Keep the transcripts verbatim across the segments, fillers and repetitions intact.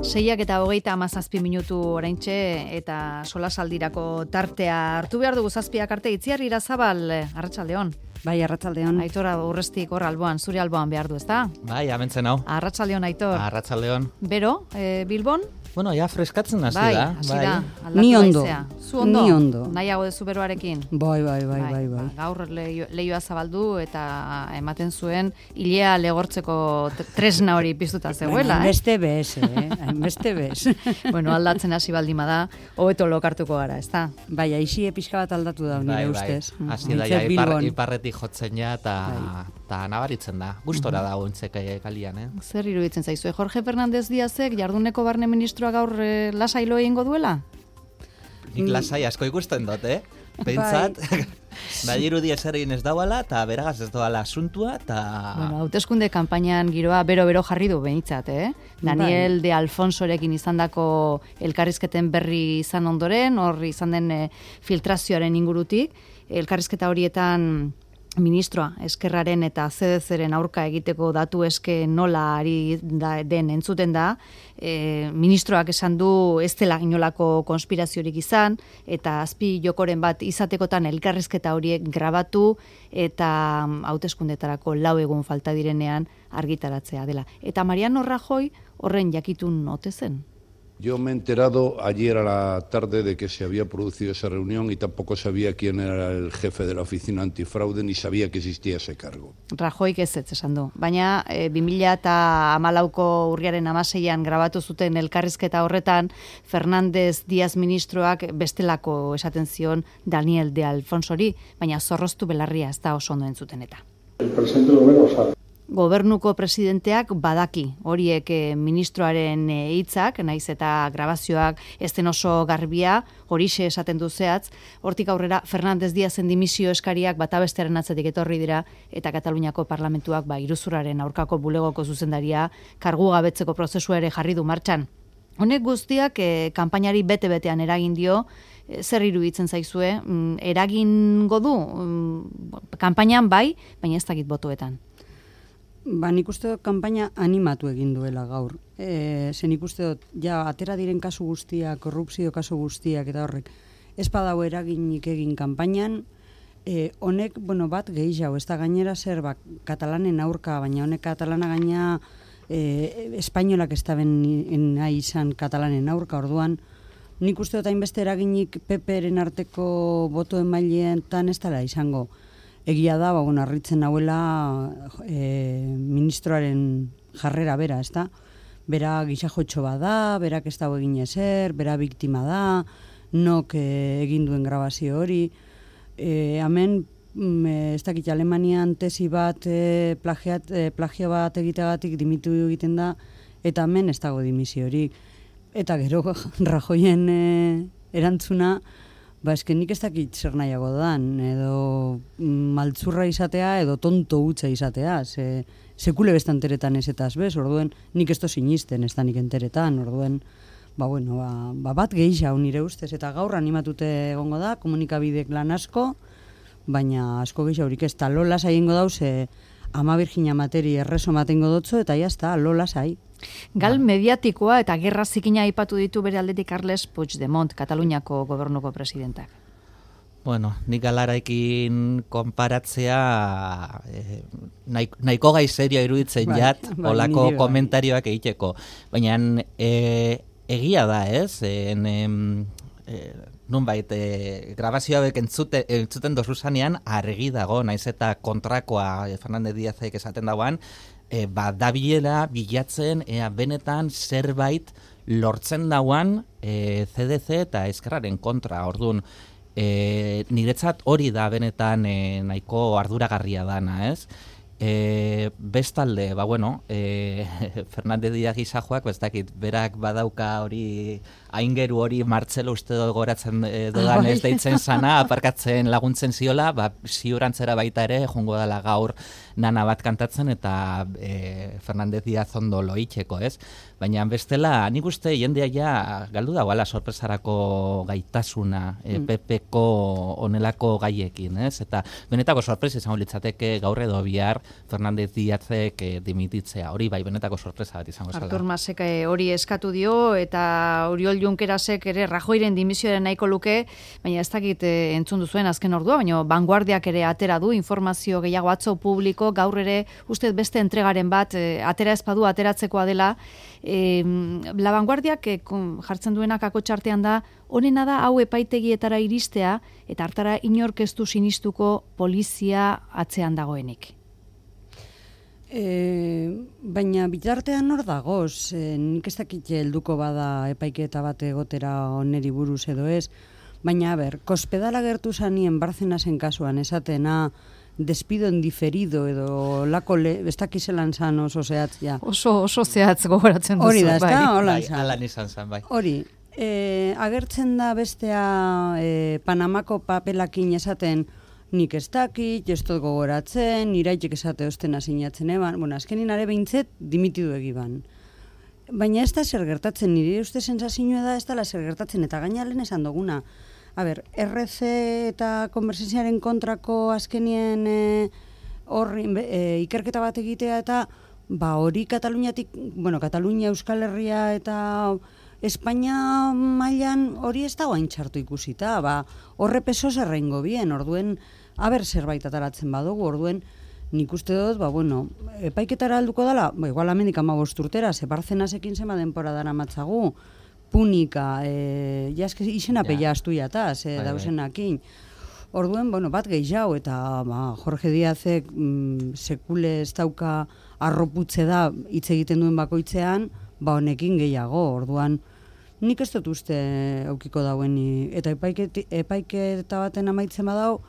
Seiak eta hogeita hamazazpi minutu oraintxe eta solasaldirako tartea hartu behar dugu zazpiak arte. Itziar Irazabal, arratsaldeon. Bai, arratsaldeon. Aitora urrestik hor alboan, zure alboan behar du, ezta? Bai, amentzen hau. Arratsaldeon, Aitor. Arratsaldeon. Bero, e, Bilbon? Bueno, ja freskatzen hasi bai, da. Hasi bai, da. Ni ondo. Zu ondo? Ni ondo. Nahiago dezu beroarekin? Bai, bai, bai, bai, bai. Ba, gaur leio, leioa zabaldu eta ematen zuen hilea legortzeko tresna hori piztuta zegoela, bueno, eh? Beste bez, eh? Beste bez. Bueno, aldatzen hasi baldima da, hobeto lokartuko gara, ezta? Bai, aixi pixka bat aldatu da, nire bai, ustez. Bai. Hasi da, ja, Behintzat ipar, Bilbon. iparretik jotzen ja, eta Bai. nabaritzen da. Gustora da ointzek kalian, eh? Zer iruditzen zaizu? Jorge Fernández Díazek jarduneko barne ministroa gaur eh, lasailo egingo duela? Nik lasai asko ikusten dut, eh? Pentsat, badirudi ezer egin ez dauala, eta beragaz ez doala asuntua, eta... Bueno, hauteskunde kanpainan giroa bero-bero jarri du behintzat, eh? Daniel de Alfonsorekin izandako elkarrizketen berri izan ondoren, hor izan den eh, filtrazioaren ingurutik, elkarrizketa horietan ministroa eskerraren eta C D C-ren aurka egiteko datu eske nola ari da, den entzuten da, e, ministroak esan du ez dela inolako konspiraziorik izan, eta azpi jokoren bat izatekotan elkarrizketa horiek grabatu eta hauteskundetarako lau egun falta direnean argitaratzea dela. Eta Mariano Rajoy horren jakitun ote zen. Yo me he enterado ayer a la tarde de que se había producido esa reunión y tampoco sabía quién era el jefe de la oficina antifraude ni sabía que existía ese cargo. Rajoyk ez ez esan du. Baina e, bi mila hamalauko urriaren hamaseian grabatu zuten elkarrizketa horretan Fernández Díaz ministroak bestelako esaten zion Daniel de Alfonsori, baina zorroztu belarria ez da oso ondo entzuten eta. El presidente del gobierno sabe. Gobernuko presidenteak badaki horiek e, ministroaren hitzak, naiz eta grabazioak ez den oso garbia, horixe esaten du zehatz, hortik aurrera Fernández Díazen dimisio eskariak bata bestearen atzetik etorri dira eta Kataluniako parlamentuak ba iruzurraren aurkako bulegoko zuzendaria kargu gabetzeko prozesua ere jarri du martxan. Honek guztiak e, kanpainari bete-betean eragin dio, e, zer iruditzen zaizue, mm, eragingo du mm, kanpainan bai, baina ez dakit botoetan. Ba, nik uste dut kanpaina animatu egin duela gaur. E, zen nik uste dut, ja, atera diren kasu guztiak, korrupzio kasu guztiak eta horrek, ez badau eraginik egin kanpainan, e, honek, bueno, bat gehiago, ez da gainera zer, ba, katalanen aurka, baina honek katalana gaina e, espainolak ez da ben nahi izan katalanen aurka, orduan, nik uste dut hainbeste eraginik P P-ren arteko boto emaileetan ez dela izango. Egia da, ba, bueno, arritzen nauela e, ministroaren jarrera bera, ez da? Bera gizajotxo bada, berak ez dago egin ezer, bera biktima da, nok e, egin duen grabazio hori. E, hemen, ez dakit, Alemanian tesi bat, e, plagiat, e, plagio bat egiteagatik dimitu egiten da, eta hemen ez dago dimisio hori. Eta gero, Rajoyen e, erantzuna, ba, esken nik ez dakit zer nahiago dan, edo maltzurra izatea, edo tonto hutsa izatea, ze, sekule bestan teretan ez eta bez, orduen nik ez to sinisten ez da nik enteretan, orduen, ba, bueno, ba, ba bat gehiago nire ustez, eta gaur animatute egongo da, komunikabidek lan asko, baina asko gehiago horik ez, eta lola zaiengo dauz, e, ama Virginia materi erreso matengo dotzo, eta jazta, lola zai. Gal mediatikoa eta gerra zikina aipatu ditu bere aldetik Carles Puigdemont, Kataluniako gobernuko presidentak. Bueno, nik galaraekin konparatzea eh, nahiko gai serioa iruditzen bai, jat, bai, olako bai. komentarioak egiteko. Baina eh, egia da, ez? En, em, eh, nunbait, eh, grabazio hauek entzute, entzuten dozu zanean, argi dago, naiz eta kontrakoa eh, Fernández Díazek esaten dagoan, E, ba, dabilela bilatzen ea benetan zerbait lortzen dauan e, C D C eta eskerraren kontra. Orduan, e, niretzat hori da benetan e, nahiko arduragarria dana, ez? E, bestalde, ba bueno, e, Fernández Díaz gizajoak, ez dakit, berak badauka hori, aingeru hori Martzelo uste goratzen e, dodan ez deitzen sana, aparkatzen laguntzen ziola, ba, ziurantzera baita ere, jongo dela gaur nana bat kantatzen eta e, Fernandez Diaz ondo loitzeko, ez? Baina bestela, nik uste jendea ja galdu dagoela sorpresarako gaitasuna e, Mm. P Pko onelako gaiekin, ez? Eta benetako sorpresa izango litzateke gaur edo bihar Fernandez Diazek e, dimititzea. Hori bai, benetako sorpresa bat izango zela. Artur Masek eh, hori eskatu dio eta Oriol Junquerasek ere Rajoyren dimisioaren nahiko luke, baina ez dakit eh, entzun duzuen azken ordua, baina Vanguardiak ere atera du informazio gehiago atzo publiko, gaur ere uste beste entregaren bat eh, atera ezpadu ateratzekoa dela. Eh, La Vanguardiak eh, kon- jartzen duenak akotxartean da, honena da hau epaitegietara iristea eta hartara inork ez du sinistuko polizia atzean dagoenik. E, baina bitartean hor dagoz, e, nik ez dakit helduko bada epaiketa bat egotera oneri buruz edo ez, baina, a ber, kospedala gertu zanien Barcenasen kasuan esatena despido en diferido edo lako le, ez dakizelan zan oso zehatzia. Oso, oso zehatz gogoratzen duzu. Hori da, ez da, bai. holan Bai, zan. alan izan zen, bai. Hori, e, agertzen da bestea e, Panamako papelakin esaten nik ez dakit, ez dut gogoratzen, iraitek esate ostena sinatzen eban, bueno, azkenin are behintzet dimitidu egiban. Baina ez da zer gertatzen, nire uste sensazioa da ez dela zer gertatzen, eta gaina lehen esan duguna. A ber, R C eta konbersenziaren kontrako azkenien e, horri e, ikerketa bat egitea eta ba hori Kataluniatik, bueno, Katalunia, Euskal Herria eta Espainia mailan hori ez dago hain txartu ikusita, ba horre peso zerrengo bien, orduen aber zerbait ataratzen badugu, orduen nik uste dut, ba bueno, epaiketara alduko dela, ba igual amendik hamabost urtera, ze Barcenasekin zema denpora dara matzagu, Punika, e, jaske izena Ja. peia astuiata, ze Bai, bai. dausenakin. Orduen, bueno, bat gehiago, eta ba, Jorge Díazek mm, sekule ez dauka arroputze da hitz egiten duen bakoitzean, ba honekin gehiago, orduan nik ez dut uste aukiko dauen, eta epaiket, epaiketa baten amaitzen badau,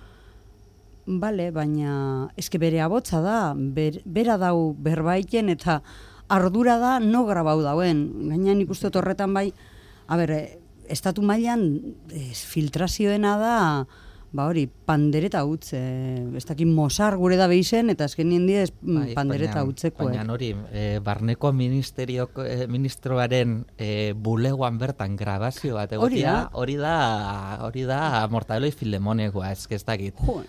bale, baina eske bere abotza da, ber, bera dau berbaiten eta ardura da no grabau dauen. Gaina nik uste dut horretan bai, a ber, eh, estatu mailan ez, filtrazioena da, ba hori, pandereta utz, eh, ez dakit Mozart gure da behizen, eta azkenien die Bai, pandereta baina- utzeko. Baina hori, eh, barneko ministerioko, eh, ministroaren eh, bulegoan bertan grabazio bat Hori egotia, da. hori da, hori da Mortadelo y Filemonekoa, ez que ez dakit. Jo,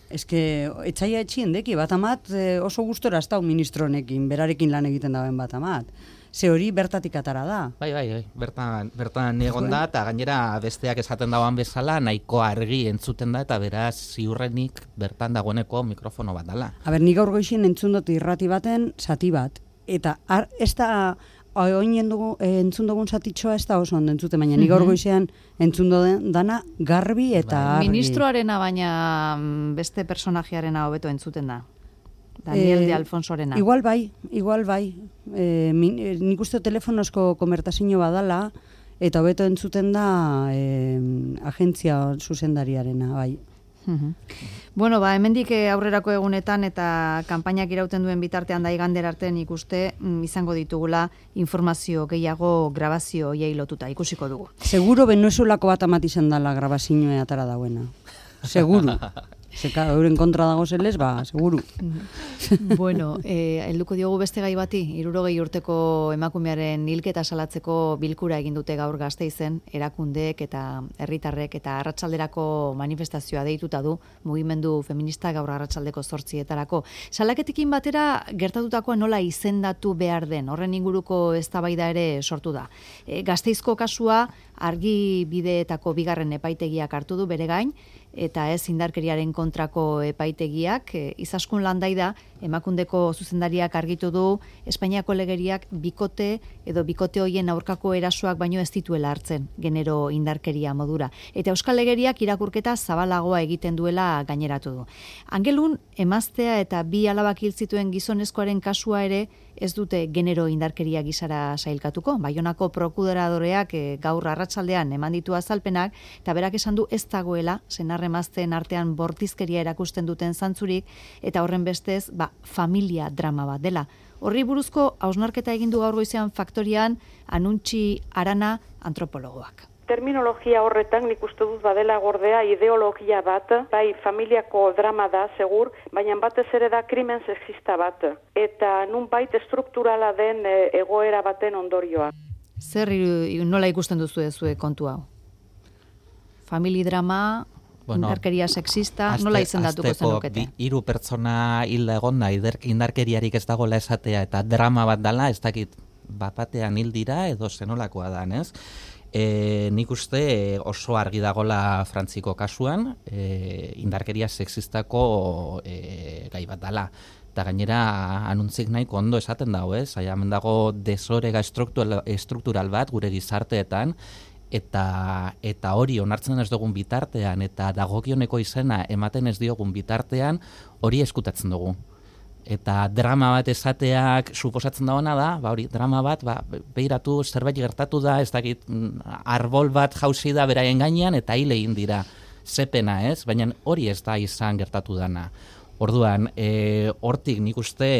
eske etxaia etxien deki, bat amat eh, oso gustora ez dau ministronekin, berarekin lan egiten dauen bat amat. Ze hori bertatik atara da. Bai, bai, bai, bertan, bertan egon da, eta gainera besteak esaten dagoan bezala, nahiko argi entzuten da, eta beraz ziurrenik bertan dagoeneko mikrofono bat dala. A ber, nik gaur goizien entzun dut irrati baten zati bat. Eta ar, ez da, oinen dugu, eh, entzun dugun zatitxoa ez da oso ondo entzuten, baina nik gaur goizean entzun duen dana garbi eta argi. Ministroarena baina mm, beste personajearena hobeto entzuten da. Daniel Eh, de Alfonsorena. Igual bai, igual bai. E, min, e, nik uste telefonosko komertazio badala, eta hobeto entzuten da e, agentzia zuzendariarena, bai. Mhm. Bueno, ba, hemendik eh, aurrerako egunetan eta kanpainak irauten duen bitartean da igander arte nik uste mm, izango ditugula informazio gehiago grabazio hiei lotuta ikusiko dugu. Seguro Venezuelako bat amat izan dela grabazioa atara dauena. Seguro. Zeka, euren kontra dago zelez, ba, seguru. Bueno, eh, helduko diogu beste gai bati, hirurogei urteko emakumearen hilketa salatzeko bilkura egin dute gaur Gasteizen, erakundeek eta herritarrek eta arratsalderako manifestazioa deituta du mugimendu feminista gaur arratsaldeko zortzietarako. Salaketekin batera gertatutakoa nola izendatu behar den, horren inguruko eztabaida ere sortu da. E, Gasteizko kasua argi bideetako bigarren epaitegiak hartu du bere gain, eta ez indarkeriaren kontrako epaitegiak, e, Izaskun Landaida, emakundeko zuzendariak argitu du Espainiako legeriak bikote edo bikote hoien aurkako erasoak baino ez dituela hartzen genero indarkeria modura. Eta Euskal Legeriak irakurketa zabalagoa egiten duela gaineratu du. Angelun, emaztea eta bi alabak hil zituen gizonezkoaren kasua ere ez dute genero indarkeria gisara sailkatuko. Baionako prokuradoreak e, gaur arratsaldean eman ditu azalpenak, eta berak esan du ez dagoela senarremazteen artean bortizkeria erakusten duten zantzurik, eta horren bestez, ba, familia drama bat dela. Horri buruzko hausnarketa egin du gaur goizean Faktorian Anuntxi Arana antropologoak. terminologia horretan nik uste dut badela gordea ideologia bat, bai familiako drama da, segur, baina batez ere da krimen sexista bat, eta nunbait estrukturala den egoera baten ondorioa. Zer nola ikusten duzu ezue kontu hau? Famili drama, bueno, indarkeria sexista, azte, nola izendatuko zenukete? Hiru pertsona hilda egonda, indarkeriarik ez dagoela esatea, eta drama bat dela, ez dakit bat batean hil dira, edo zenolakoa da, ez? E, nik uste oso argi dagola Frantziko kasuan, e, indarkeria sexistako e, gai bat dela. Eta gainera anuntzik nahiko ondo esaten dago, ez? Hemen dago desorega estruktural, estruktural bat gure gizarteetan, eta eta hori onartzen ez dugun bitartean, eta dagokioneko izena ematen ez diogun bitartean, hori eskutatzen dugu. Eta drama bat esateak suposatzen dagoena da, ba hori, drama bat, ba, behiratu zerbait gertatu da, ez dakit, arbol bat jauzi da beraien gainean, eta hil egin dira, zepena, ez? Baina hori ez da izan gertatu dana. Orduan, e, hortik nik uste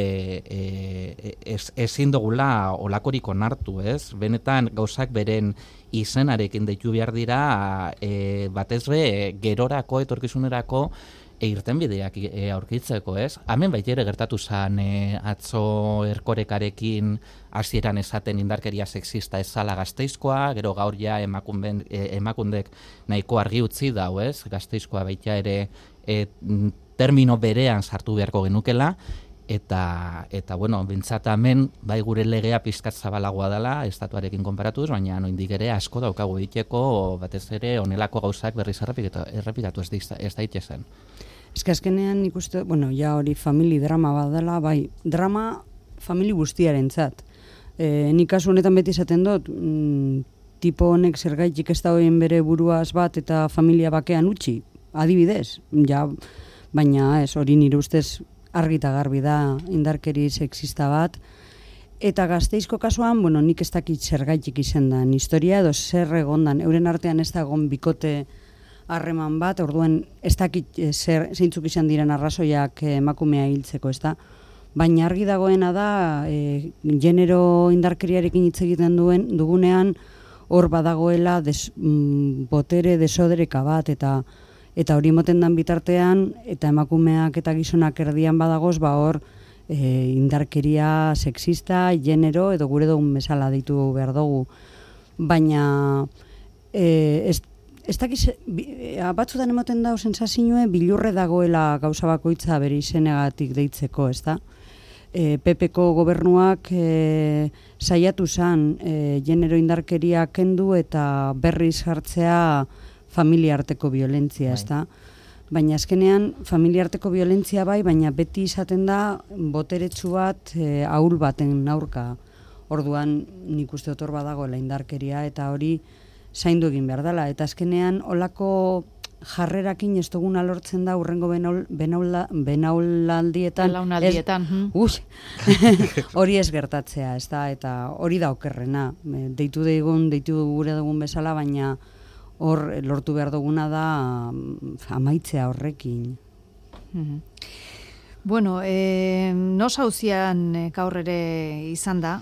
e, ez, ezin dugula olakorik onartu, ez? Benetan gauzak beren izenarekin deitu behar dira, e, batez be, gerorako, etorkizunerako, E, irtenbideak e, aurkitzeko, ez? Hemen baita ere gertatu zen e, atzo Erkorekarekin hasieran esaten indarkeria sexista ez zala Gasteizkoa, gero gaur ja emakunden, e, emakundek nahiko argi utzi dau, ez? Gasteizkoa baita ere e, termino berean sartu beharko genukela, eta, eta bueno, bintzat hemen bai gure legea pizkat zabalagoa dela, estatuarekin konparatuz, baina noindik ere asko daukagu egiteko, batez ere honelako gauzak berriz errepikatu ez, ez daitezen. Ez que azkenean nik uste, bueno, ja hori famili drama bat dela, bai, drama famili guztiaren zat. E, nik kasu honetan beti esaten dut, mm, tipo honek zergaitik ez da hoien bere buruaz bat eta familia bakean utzi, adibidez, ja, baina ez, hori nire ustez argi eta garbi da indarkeri sexista bat, eta Gasteizko kasuan, bueno, nik ez dakit zergaitik izen da, historia edo zer egondan, euren artean ez da egon bikote harreman bat, orduan ez dakit zer, zeintzuk izan diren arrazoiak emakumea hiltzeko, ez da. Baina argi dagoena da, e, genero indarkeriarekin hitz egiten duen dugunean, hor badagoela des, mm, botere desodereka bat, eta eta hori moten dan bitartean, eta emakumeak eta gizonak erdian badagoz, ba hor e, indarkeria sexista, genero, edo gure dugun bezala deitu behar dugu. Baina e, ez Ez dakiz, batzutan emoten dau sensazioe bilurre dagoela gauza bakoitza bere izenegatik deitzeko, ez da? E, P P ko gobernuak e, saiatu zan e, genero indarkeria kendu eta berriz jartzea familiarteko violentzia, ez da? Baina azkenean familiarteko violentzia bai, baina beti izaten da boteretsu bat e, ahul baten aurka. Orduan nik uste otor badagoela indarkeria eta hori zaindu egin behar dela, eta azkenean olako jarrerakin ez duguna lortzen da urrengo benaul, benaula, benaulaldietan, Belaunaldietan, ez, hori ez gertatzea, ez da, eta hori da okerrena, deitu deigun, deitu gure dugun bezala, baina hor lortu behar duguna da amaitzea horrekin. Mm-hmm. Bueno, e, nos hauzian gaur ere izan da,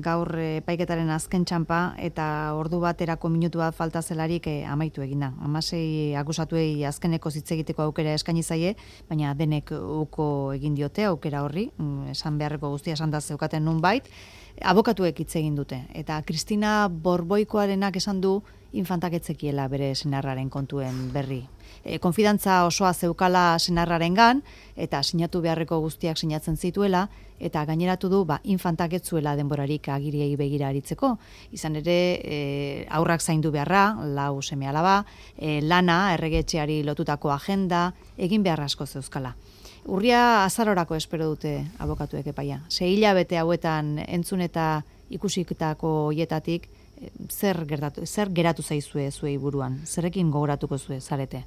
gaur epaiketaren azken txampa, eta ordu baterako minutu bat falta zelarik e, amaitu egina. Hamasei akusatuei azkeneko hitz egiteko aukera eskaini zaie, baina denek uko egin diote aukera horri, esan beharreko guztia esan da zeukaten nunbait, abokatuek hitz egin dute. Eta Kristina Borboikoarenak esan du infantak etzekiela bere senarraren kontuen berri. E, konfidantza osoa zeukala senarrarengan eta sinatu beharreko guztiak sinatzen zituela, eta gaineratu du ba, infantak etzuela denborarik agiriei begira aritzeko. Izan ere, e, aurrak zaindu beharra, lau seme alaba, e, lana, erregetxeari lotutako agenda, egin behar asko zeuzkala. Urria azarorako espero dute abokatuek epaia. Sei hilabete hauetan entzun eta ikusiketako hietatik, zer gertatu, zer geratu zaizue zuei buruan? Zerrekin gogoratuko zue zarete?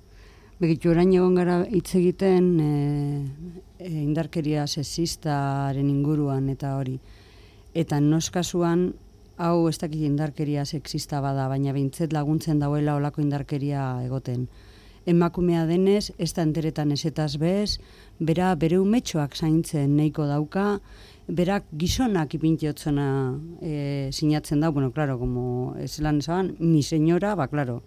Begitu, orain egon gara hitz egiten e, e, indarkeria sexistaren inguruan eta hori. Eta noskasuan, hau ez dakit indarkeria sexista bada, baina behintzet laguntzen dauela olako indarkeria egoten. emakumea denez, ez da enteretan ezetaz bez, bera bere umetxoak zaintzen nahiko dauka, berak gizonak ipintiotzena e, sinatzen da, bueno, claro, como ezelan esaban, mi señora, ba, claro,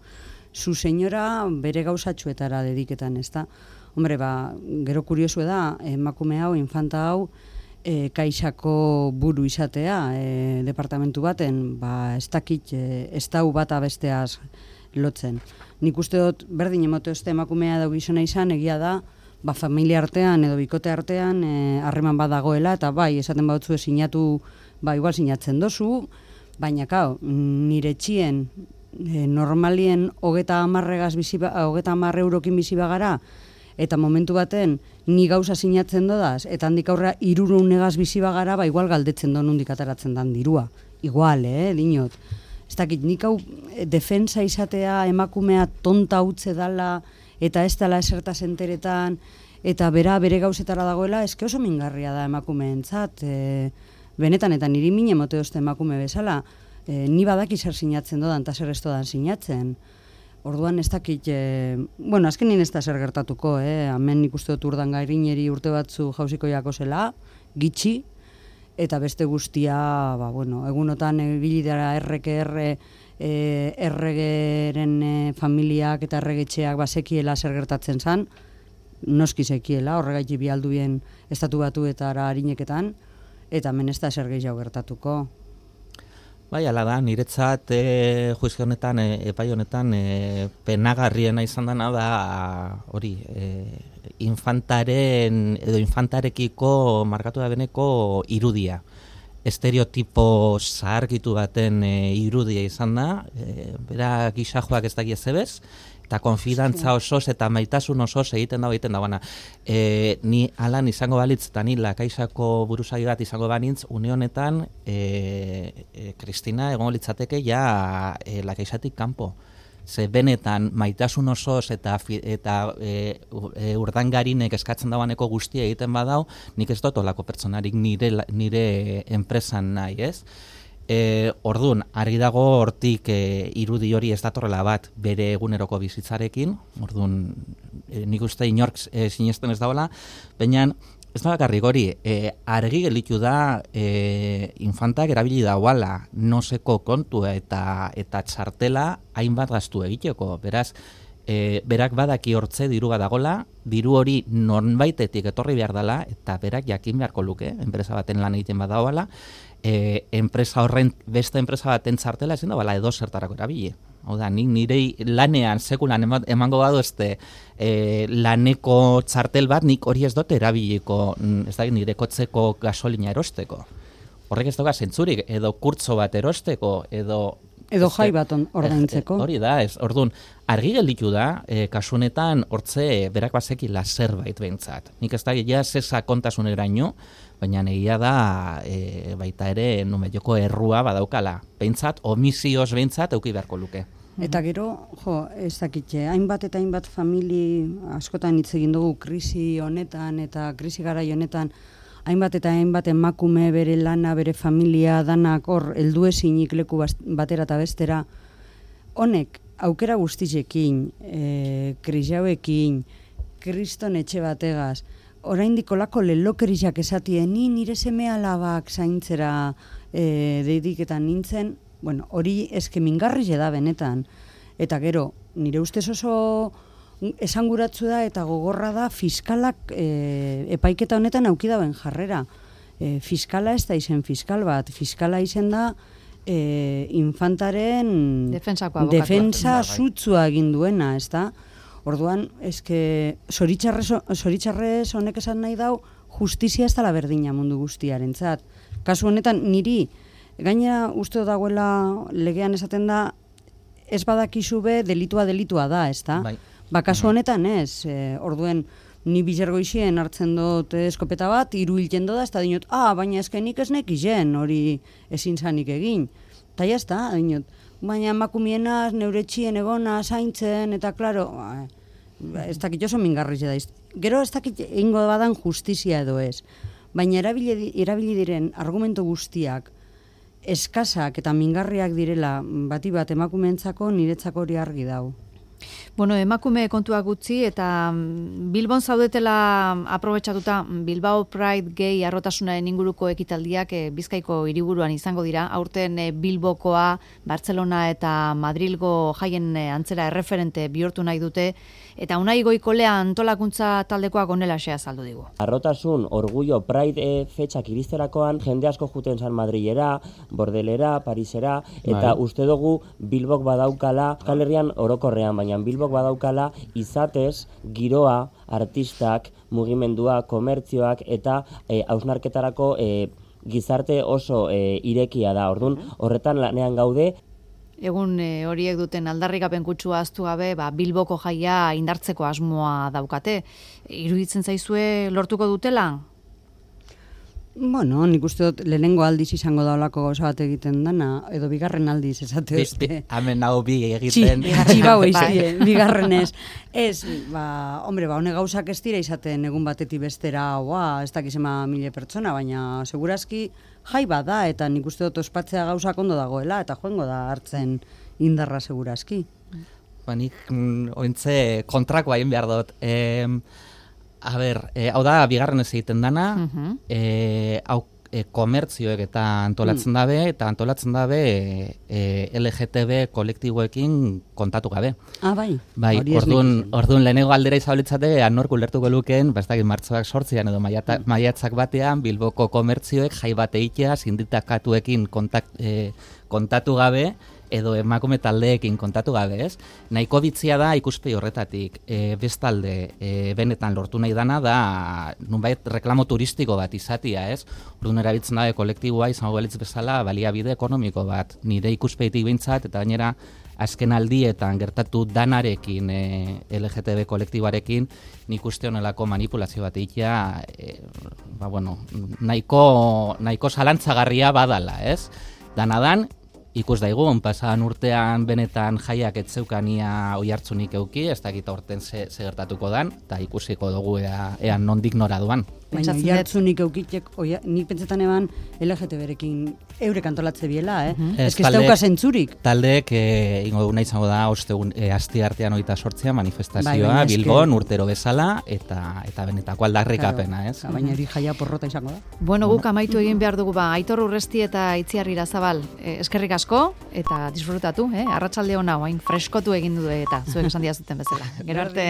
su señora bere gauzatxuetara dediketan, ez da. Hombre, ba, gero kuriosu da, emakume hau, infanta hau, e, kaixako buru izatea, e, departamentu baten, ba, ez dakit, e, ez dau bata besteaz lotzen. Nik uste dut, berdin emote oste emakumea edo gizona izan, egia da, ba, familia artean edo bikote artean harreman bat dagoela, eta bai, esaten bautzu sinatu, ba, igual sinatzen dozu, baina, kao, nire txien, e, normalien hogeta amarregaz bizi, hogeta amarre eurokin bizi bagara, eta momentu baten ni gauza sinatzen dodaz, eta handik aurra hirurehun negaz bizi bagara, ba, igual galdetzen do nondik ateratzen dan dirua. Igual, eh, dinot. Ez dakit, nik hau defensa izatea emakumea tonta utze dala, eta ez dela esertaz enteretan, eta bera bere gauzetara dagoela, eske oso mingarria da emakumeentzat, e, benetan, eta niri mine mote oste emakume bezala, e, ni badaki zer sinatzen dodan, eta zer ez dodan sinatzen. Orduan ez dakit, e, bueno, azkenin ez da zer gertatuko, eh? Hemen ikuste dut Urdan Gairineri urte batzu jauziko jako zela, gitxi, eta beste guztia, ba, bueno, egunotan ibili dara erreke erre, e, erregeren e, familiak eta erregetxeak basekiela zer gertatzen zan, noski zekiela, horregaiti bialduen estatu batuetara harineketan, eta hemen ez da zer gehiago gertatuko. Bai, ala da, niretzat e, juizio honetan, e, epai honetan, e, penagarriena izan dena da, hori, e, infantaren, edo infantarekiko markatu da beneko irudia. Estereotipo zaharkitu baten e, irudia izan da, e, bera gisajoak ez dakia zebez, eta konfidantza osoz eta maitasun osoz egiten da egiten da bana. E, ni alan izango balitz eta ni lakaisako buruzagi bat izango banintz, une honetan e, e, Kristina egongo litzateke ja e, lakaisatik kanpo. Ze benetan maitasun osoz eta, eta e, e, Urdangarinek eskatzen dauaneko guztia egiten badau, nik ez dut olako pertsonarik nire, nire enpresan nahi, ez? E, orduan, argi dago hortik e, irudi hori ez datorrela bat bere eguneroko bizitzarekin, orduan, e, nik uste inork e, sinesten ez dagoela, baina ez da bakarrik hori, e, argi gelitu da e, infantak erabili dauala noseko kontua eta, eta txartela hainbat gastu egiteko, beraz, e, berak badaki hortze diru bat dagola, diru hori nonbaitetik etorri behar dela, eta berak jakin beharko luke, enpresa baten lan egiten badagoala, E, enpresa horren, beste enpresa baten txartela ezin da bala edo zertarako erabili. Hau da, nik nire lanean, sekulan emango badu este e, laneko txartel bat, nik hori ez dut erabiliko, ez da, nire kotzeko gasolina erosteko. Horrek ez dauka zentzurik, edo kurtzo bat erosteko, edo... Edo jai bat ordaintzeko. Hori da, ez, orduan, argi gelditu da, e, kasunetan hortze berak bazekila zerbait behintzat. Nik ez da, ja, zesa kontasuneraino, baina egia da e, baita ere numetioko errua badaukala. Behintzat, omizioz behintzat euki beharko luke. Eta gero, jo, ez dakitxe, hainbat eta hainbat famili askotan hitz egin dugu krisi honetan eta krisi garai honetan, hainbat eta hainbat emakume bere lana, bere familia, danak hor, heldu ezinik leku batera eta bestera, honek aukera guztizekin, e, krisi hauekin, kriston etxe bategaz, oraindik olako lelokeriak esatien, ni nire seme alabak zaintzera e, dediketan nintzen, bueno, hori eske mingarri da benetan. Eta gero, nire ustez oso esanguratsu da eta gogorra da fiskalak e, epaiketa honetan auki dauen jarrera. E, fiskala ez da izen fiskal bat, fiskala izen da e, infantaren defensa zutzua egin duena, ez da? Orduan, eske zoritxarrez honek esan nahi dau, justizia ez dela berdina mundu guztiarentzat. Kasu honetan, niri, gainera uste dagoela legean esaten da, ez badakizu be delitua delitua da, ez da? Bai. Ba, kasu honetan ez, e, orduen, ni bizergoizien hartzen dut eskopeta bat, hiru hilten doda, ez da dinot, ah, baina eskenik ez nekizen, hori ezin zanik egin. Ta ya está, dinot. Baina emakumienaz, neuretxien egona, zaintzen, eta klaro, ez dakit oso mingarriz da. Gero ez dakit egingo badan justizia edo ez. Baina erabili, erabili diren argumento guztiak eskasak eta mingarriak direla bati bat emakumeentzako niretzako hori argi dau. Bueno, emakume kontuak gutxi eta Bilbon zaudetela aprobetxatuta Bilbao Pride Gay arrotasunaren inguruko ekitaldiak e, Bizkaiko hiriburuan izango dira. Aurten e, Bilbokoa, Bartzelona eta Madrilgo jaien e, antzera erreferente bihurtu nahi dute eta Unai Goikolea antolakuntza taldekoak onelaxe azaldu digu. Arrotasun, orgullo, Pride e, fetxak iristerakoan jende asko juten San Madrilera, Bordelera, Parisera eta bai. Uste dugu Bilbok badaukala, Euskal Herrian orokorrean, baina Bilbok badaukala izatez, giroa, artistak, mugimendua, komertzioak eta e, hausnarketarako e, gizarte oso e, irekia da. Orduan, horretan lanean gaude. Egun e, horiek duten aldarrikapen kutsua ahaztu gabe, ba, Bilboko jaia indartzeko asmoa daukate. Iruditzen zaizue lortuko dutela? Bueno, nik uste dut lehenengo aldiz izango da olako gauza bat egiten dana, edo bigarren aldiz esate uste. Hemen hau bi egiten. Txibau iztie, bigarrenez. Ez, ba, hombre, ba, hone gauzak ez dira izaten egun batetik bestera, oa, ez dakizema mile pertsona, baina segurazki jai bada, eta nik uste dut ospatzea gauzak ondo dagoela, eta joango da hartzen indarra segurazki. Ba, nik mm, ointze kontrakoa egin behar dut. Eh, A ber, e, hau da, bigarren ez egiten dana, uh-huh. e, hau e, komertzioek eta antolatzen mm. dabe, eta antolatzen dabe e, L G T B kolektiboekin kontatu gabe. Ah, bai. Bai, orduan, orduan lehenego aldera izabolitzate, anork ulertuko lukeen, bastakit martxoak sortzian edo maiata, mm. maiatzak batean, Bilboko komertzioek jai bate itea, sinditakatuekin kontak, e, kontatu gabe, edo emakume taldeekin kontatu gabe, ez? Nahiko bitzia da ikuspegi horretatik. E, bestalde, e, benetan lortu nahi dana da, nunbait reklamo turistiko bat izatia, ez? Orduan erabiltzen dabe kolektiboa izango balitz bezala baliabide ekonomiko bat. Nire ikuspegitik behintzat, eta gainera azken aldietan gertatu danarekin, e, L G T B kolektiboarekin, nik uste honelako manipulazio bat egitea, e, ba, bueno, nahiko, nahiko zalantzagarria badala, ez? Danadan, ikus daigun, pasadan urtean benetan jaiak etzeukania oihartzunik euki, ez dakit horten ze, ze gertatuko dan, eta ikusiko dugu ea, ea nondik nora duan. Baina oihartzunik eukitek, oia, nik pentsetan eban L G T B-rekin eurek antolatze biela, eh? Uh-huh. Ez que ez dauka zentzurik. Taldeek, e, ingo duguna izango da, ostegun, e, asti artean oita sortzea manifestazioa, bai, Bilbon, urtero bezala, eta eta benetako aldarrikapena, ez? Claro, baina hori jaia porrota izango da. Bueno, guk amaitu egin behar dugu, ba, Aitor Urresti eta Itziar Irazabal, e, eskerrik asko, eta disfrutatu, eh? Arratsalde ona, hain freskotu egin du eta zuek esan diazuten bezala. Gero arte.